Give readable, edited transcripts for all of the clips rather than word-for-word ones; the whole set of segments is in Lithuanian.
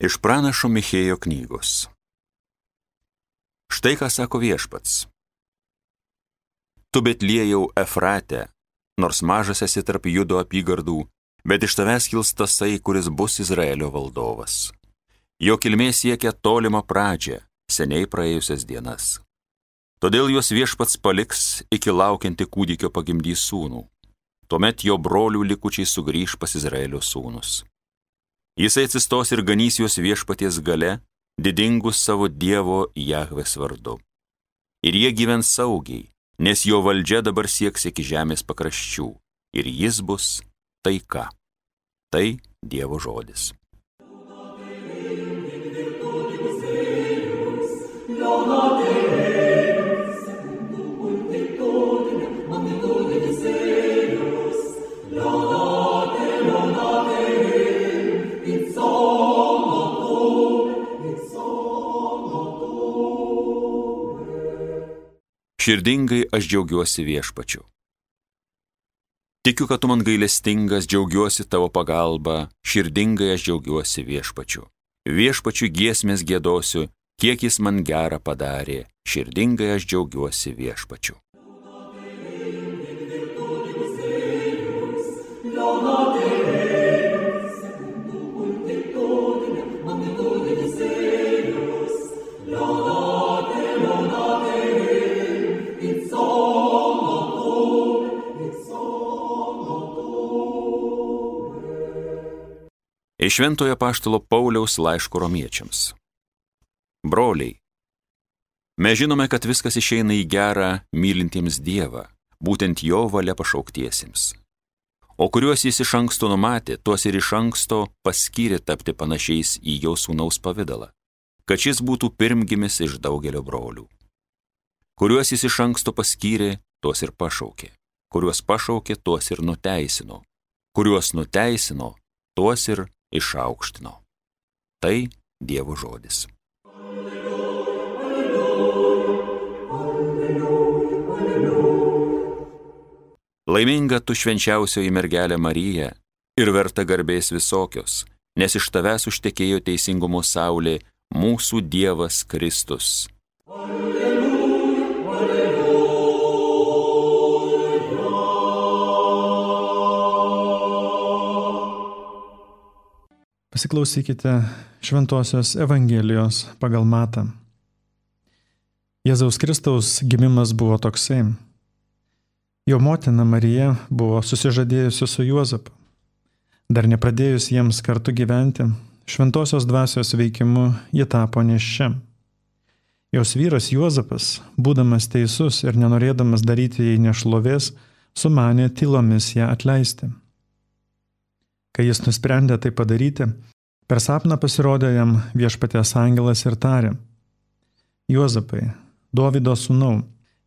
Iš pranašo Michėjo knygos. Štai ką sako Viešpats. Tu Betliejau Efrate, nors mažas esi tarp Judo apygardų, bet iš tavęs kils tasai, kuris bus Izraelio valdovas. Jo kilmė siekia tolimą pradžią, seniai praėjusias dienas. Todėl juos Viešpats paliks, iki laukianti kūdikio pagimdys sūnų. Tuomet jo brolių likučiai sugrįž pas Izraelio sūnus. Jisai atsistos ir ganys juos Viešpaties gale, didingus savo Dievo Jahvės vardu. Ir jie gyvens saugiai, nes jo valdžia dabar sieks iki žemės pakraščių, ir jis bus taika. Tai Dievo žodis. Širdingai aš džiaugiuosi Viešpačiu. Tikiu, kad tu man gailestingas, džiaugiuosi tavo pagalba, širdingai aš džiaugiuosi Viešpačiu. Viešpačiu giesmės giedosiu, kiek jis man gerą padarė, širdingai aš džiaugiuosi Viešpačiu. Iš Šventojo apaštalo Pauliaus laiško romiečiams. Broliai, mes žinome, kad viskas išeina į gerą mylintiems Dievą, būtent jo valia pašauktiesiems. O kuriuos jis iš anksto numatė, tuos ir iš anksto paskyrė tapti panašiais į jo sūnaus pavidalą, kad šis būtų pirmgimis iš daugelio brolių. Kuriuos jis iš anksto paskyrė, tuos ir pašaukė. Kuriuos pašaukė, tuos ir nuteisino. Kuriuos nuteisino, tuos ir išaukštino. Tai Dievo žodis. Laiminga tu švenčiausioji mergelė Marija ir verta garbės visokios, nes iš tavęs užtekėjo teisingumo saulė, mūsų Dievas Kristus. Pasiklausykite Šventosios Evangelijos pagal Matą. Jėzaus Kristaus gimimas buvo toksai. Jo motina Marija buvo susižadėjusi su Juozapu. Dar nepradėjus jiems kartu gyventi, Šventosios dvasios veikimu ji tapo nėščia. Jos vyras Juozapas, būdamas teisus ir nenorėdamas daryti jai nešlovės, sumanė tylomis ją atleisti. Kai jis nusprendė tai padaryti, per sapną pasirodė jam Viešpaties angelas ir tarė: Juozapai, Dovydo sūnau,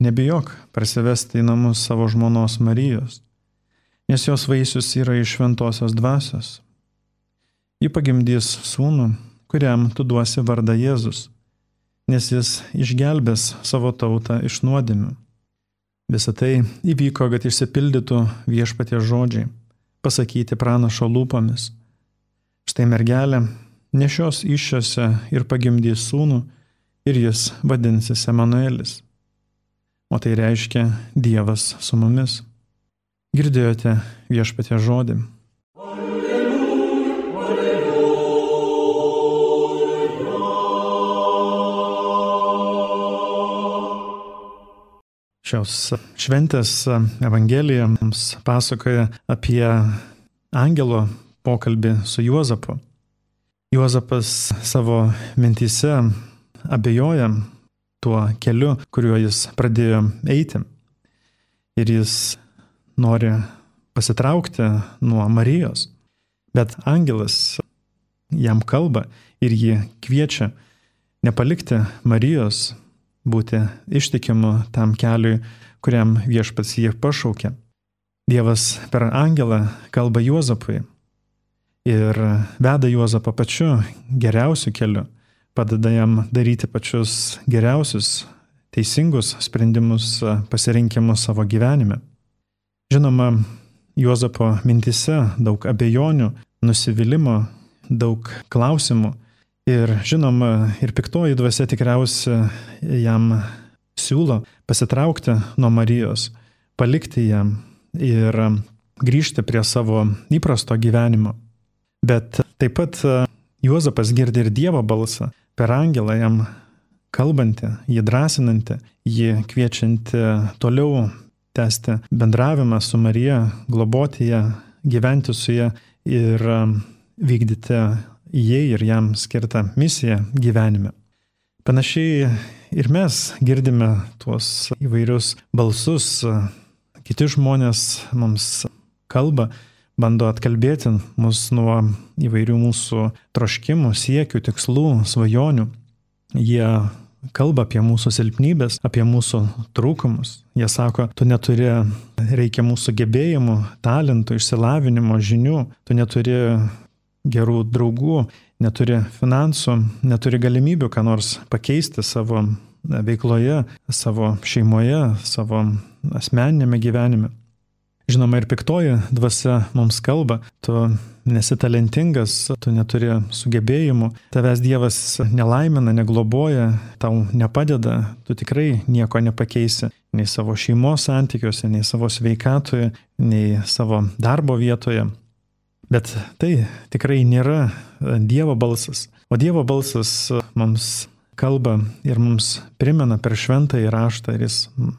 nebijok parsivesti į namus savo žmonos Marijos, nes jos vaisius yra iš Šventosios dvasios. Ji pagimdys sūnų, kuriam tu duosi vardą Jėzus, nes jis išgelbės savo tautą iš nuodėmių. Visa tai įvyko, kad išsipildytų Viešpaties žodžiai, pasakyti pranašo lūpomis. Štai mergelė nešios įsčiose ir pagimdys sūnų, ir jis vadinsis Emanuelis. O tai reiškia Dievas su mumis. Girdėjote Viešpaties žodį. Šios šventės Evangelija mums pasakoja apie angelo pokalbį su Juozapu. Juozapas savo mintyse abejoja tuo keliu, kuriuo jis pradėjo eiti. Ir jis nori pasitraukti nuo Marijos. Bet angelas jam kalba ir jį kviečia nepalikti Marijos, būti ištikimu tam keliui, kuriam Viešpats jį pašaukė. Dievas per angelą kalba Juozapui ir veda Juozapą pačiu geriausiu keliu, padeda jam daryti pačius geriausius, teisingus sprendimus, pasirinkimus savo gyvenime. Žinoma, Juozapo mintyse daug abejonių, nusivylimo, daug klausimų Ir žinoma, ir piktoji dvasia tikriausiai jam siūlo pasitraukti nuo Marijos, palikti ją ir grįžti prie savo įprasto gyvenimo. Bet taip pat Juozapas girdi ir Dievo balsą per angelą jam kalbantį, jį drąsinantį, jį kviečiantį toliau tęsti bendravimą su Marija, globoti ją, gyventi su ją ir vykdyti jai ir jam skirtą misiją gyvenime. Panašiai ir mes girdime tuos įvairius balsus, kiti žmonės mums kalba, bando atkalbėti mus nuo įvairių mūsų troškimų, siekių, tikslų, svajonių. Jie kalba apie mūsų silpnybės, apie mūsų trūkumus. Jie sako, tu neturi reikiamų sugebėjimų, talentų, išsilavinimo, žinių, tu neturi gerų draugų, neturi finansų, neturi galimybių ką nors pakeisti savo veikloje, savo šeimoje, savo asmeninėme gyvenime. Žinoma, ir piktoji dvasia mums kalba, tu nesi talentingas, tu neturi sugebėjimų, tavęs Dievas nelaimina, negloboja, tau nepadeda, tu tikrai nieko nepakeisi, nei savo šeimos santykiuose, nei savo sveikatoje, nei savo darbo vietoje. Bet tai tikrai nėra Dievo balsas, o Dievo balsas mums kalba ir mums primena per šventąjį raštą ir jis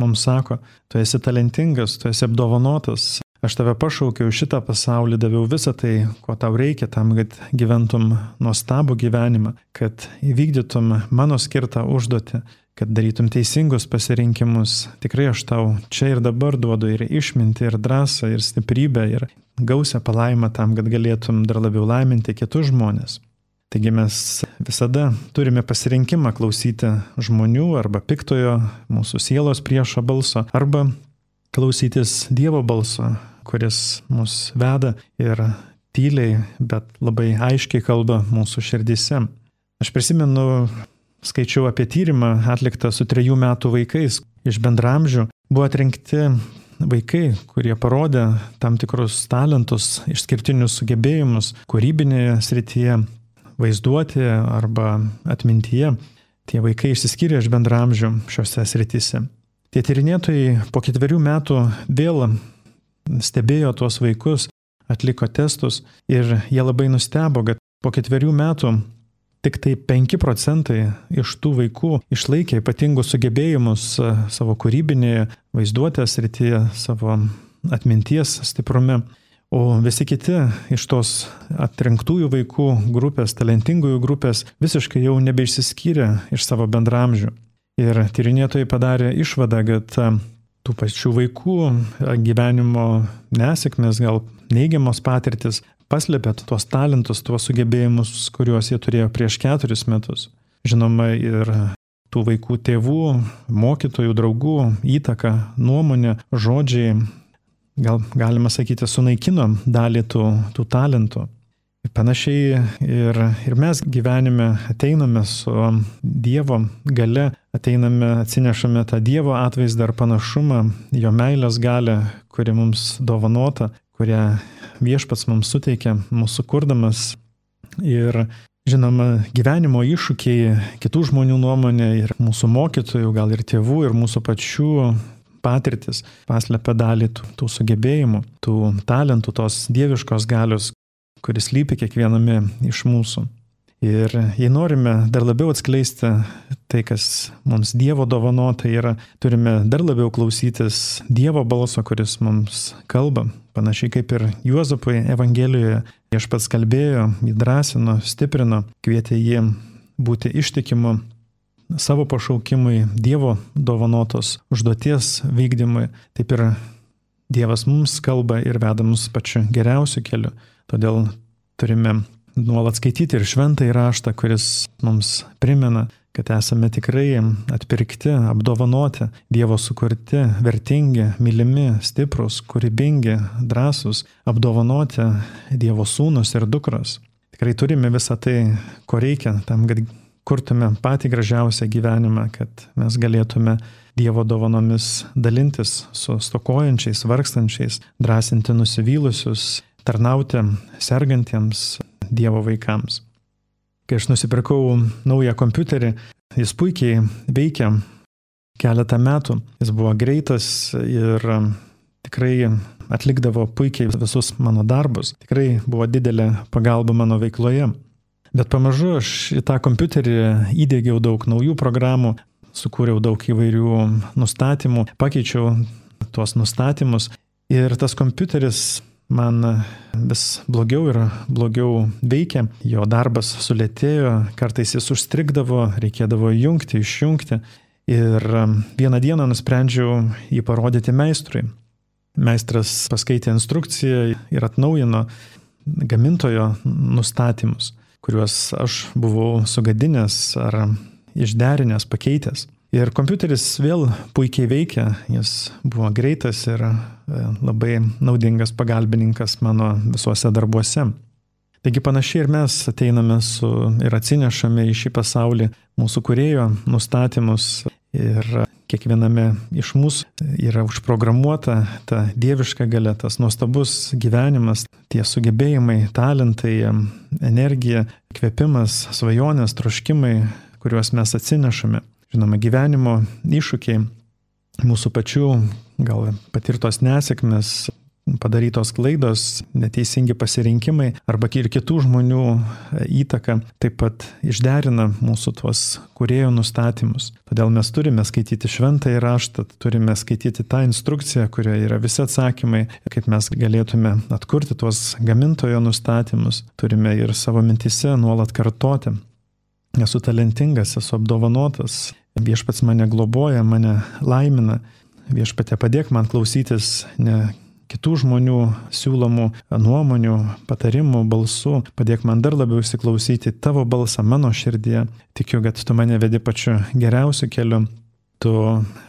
mums sako, tu esi talentingas, tu esi apdovanotas, aš tave pašaukiau šitą pasaulį, daviau visą tai, ko tau reikia tam, kad gyventum nuostabų gyvenimą, kad įvykdytum mano skirtą užduotį, kad darytum teisingus pasirinkimus. Tikrai aš tau čia ir dabar duodu ir išmintį, ir drąsą, ir stiprybę, ir gausią palaimą tam, kad galėtum dar labiau laiminti kitus žmonės. Taigi mes visada turime pasirinkimą klausyti žmonių arba piktojo, mūsų sielos priešo balso, arba klausytis Dievo balso, kuris mus veda ir tyliai, bet labai aiškiai kalba mūsų širdyse. Aš prisimenu, skaičiau apie tyrimą atliktą su 3 metų vaikais iš bendramžių. Buvo atrinkti vaikai, kurie parodė tam tikrus talentus, išskirtinius sugebėjimus kūrybinėje srityje, vaizduotėje arba atmintyje. Tie vaikai išsiskyrė iš bendramžių šiose srityse. Tie tyrinėtojai po 4 metų vėl stebėjo tuos vaikus, atliko testus ir jie labai nustebo, kad po 4 metų tik tai 5% iš tų vaikų išlaikė ypatingus sugebėjimus savo kūrybinėje vaizduotės srityje, savo atminties stiprume. O visi kiti iš tos atrinktųjų vaikų grupės, talentingųjų grupės visiškai jau nebeišsiskyrė iš savo bendramžių. Ir tyrinėtojai padarė išvadą, kad tų pačių vaikų gyvenimo nesėkmės, gal neigiamos patirtis, paslėpė tuos talentus, tuos sugebėjimus, kuriuos jie turėjo prieš 4 metus. Žinoma, ir tų vaikų tėvų, mokytojų, draugų įtaka, nuomonė, žodžiai, gal galima sakyti, sunaikino dalį tų talentų. Panašiai ir mes gyvenime ateiname su Dievo galia, atsinešame tą Dievo atvaizdą ar panašumą, jo meilės galią, kuri mums dovanota, kurią Viešpats mums suteikia, mūsų kurdamas. Ir žinoma, gyvenimo iššūkiai, kitų žmonių nuomonė ir mūsų mokytojų, gal ir tėvų, ir mūsų pačių patirtis paslepia dalį tų sugebėjimų, tų talentų, tos dieviškos galios, kuris lypi kiekviename iš mūsų. Ir jei norime dar labiau atskleisti tai, kas mums Dievo dovanota yra, turime dar labiau klausytis Dievo balso, kuris mums kalba. Panašiai kaip ir Juozapui Evangelijoje Viešpats kalbėjo, jį drąsino, stiprino, kvietė jį būti ištikimu savo pašaukimui, Dievo dovanotos užduoties vykdymui. Taip ir Dievas mums kalba ir veda mus pačiu geriausiu keliu. Todėl turime nuolat skaityti ir šventąjį raštą, kuris mums primena, kad esame tikrai atpirkti, apdovanoti, Dievo sukurti, vertingi, mylimi, stiprus, kūrybingi, drąsūs, apdovanoti Dievo sūnus ir dukros. Tikrai turime visą tai, ko reikia tam, kad kurtume patį gražiausią gyvenimą, kad mes galėtume Dievo dovanomis dalintis su stokojančiais, vargstančiais, drąsinti nusivylusius, tarnauti sergantiems Dievo vaikams. Kai aš nusipirkau naują kompiuterį, jis puikiai veikia keletą metų. Jis buvo greitas ir tikrai atlikdavo puikiai visus mano darbus. Tikrai buvo didelė pagalba mano veikloje. Bet pamažu aš į tą kompiuterį įdiegiau daug naujų programų, sukūriau daug įvairių nustatymų, pakeičiau tuos nustatymus ir tas kompiuteris man vis blogiau ir blogiau veikia, jo darbas sulėtėjo, kartais jis užstrigdavo, reikėdavo įjungti, išjungti ir vieną dieną nusprendžiau jį parodyti meistrui. Meistras paskaitė instrukciją ir atnaujino gamintojo nustatymus, kuriuos aš buvau sugadinęs ar išderinęs, pakeitęs. Ir kompiuteris vėl puikiai veikia, jis buvo greitas ir labai naudingas pagalbininkas mano visuose darbuose. Taigi panašiai ir mes ateiname ir atsinešame į šį pasaulį mūsų kūrėjo nustatymus ir kiekviename iš mūsų yra užprogramuota ta dieviška galia, tas nuostabus gyvenimas, tie sugebėjimai, talentai, energija, kvėpimas, svajonės, troškimai, kuriuos mes atsinešame. Žinoma, gyvenimo iššūkiai, mūsų pačių gal patirtos nesėkmės, padarytos klaidos, neteisingi pasirinkimai arba ir kitų žmonių įtaka taip pat išderina mūsų tuos kūrėjo nustatymus. Todėl mes turime skaityti šventąjį raštą, turime skaityti tą instrukciją, kurioje yra visi atsakymai, kaip mes galėtume atkurti tuos gamintojo nustatymus. Turime ir savo mintise nuolat kartoti. Esu talentingas, esu apdovanotas, viešpats mane globoja, mane laimina, viešpatė padėk man klausytis ne kitų žmonių siūlomų nuomonių, patarimų, balsų, padėk man dar labiau įsiklausyti tavo balsą mano širdyje. Tikiu, kad tu mane vedi pačiu geriausiu keliu, tu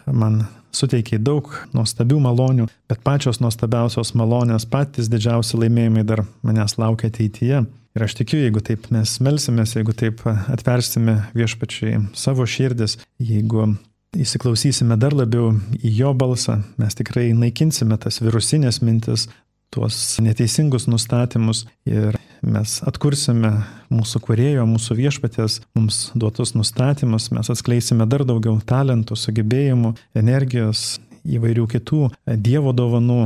man suteikiai daug nuostabių malonių, bet pačios nuostabiausios malonės, patys didžiausi laimėjimai dar manęs laukia ateityje. Ir aš tikiu, jeigu taip mes melsimės, jeigu taip atversime viešpačiai savo širdis, jeigu įsiklausysime dar labiau į jo balsą, mes tikrai naikinsime tas virusinės mintis, tuos neteisingus nustatymus ir mes atkursime mūsų kūrėjo, mūsų viešpatės mums duotus nustatymus, mes atskleisime dar daugiau talentų, sugebėjimų, energijos, įvairių kitų Dievo dovanų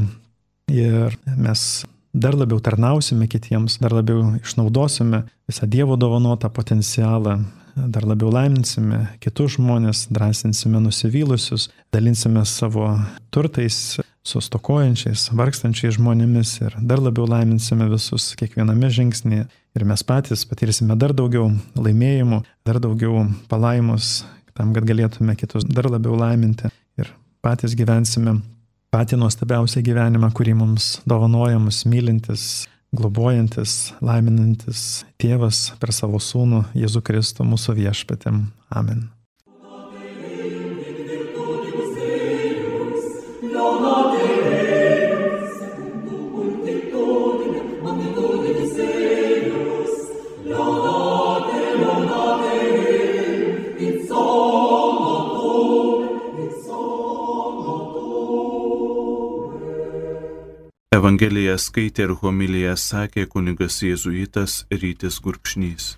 ir mes dar labiau tarnausime kitiems, dar labiau išnaudosime visą Dievo dovanotą potencialą, dar labiau laiminsime kitus žmonės, drąsinsime nusivylusius, dalinsime savo turtais su stokojančiais, vargstančiais žmonėmis ir dar labiau laiminsime visus kiekviename žingsnėje. Ir mes patys patirsime dar daugiau laimėjimų, dar daugiau palaimos, tam, kad galėtume kitus dar labiau laiminti ir patys gyvensime patį nuostabiausią gyvenimą, kurį mums dovanoja mus mylintis, globojantis, laiminantis Tėvas per savo Sūnų Jėzų Kristų mūsų viešpatį. Amen. Evangeliją skaitė ir homiliją sakė kunigas jėzuitas Rytis Gurkšnys.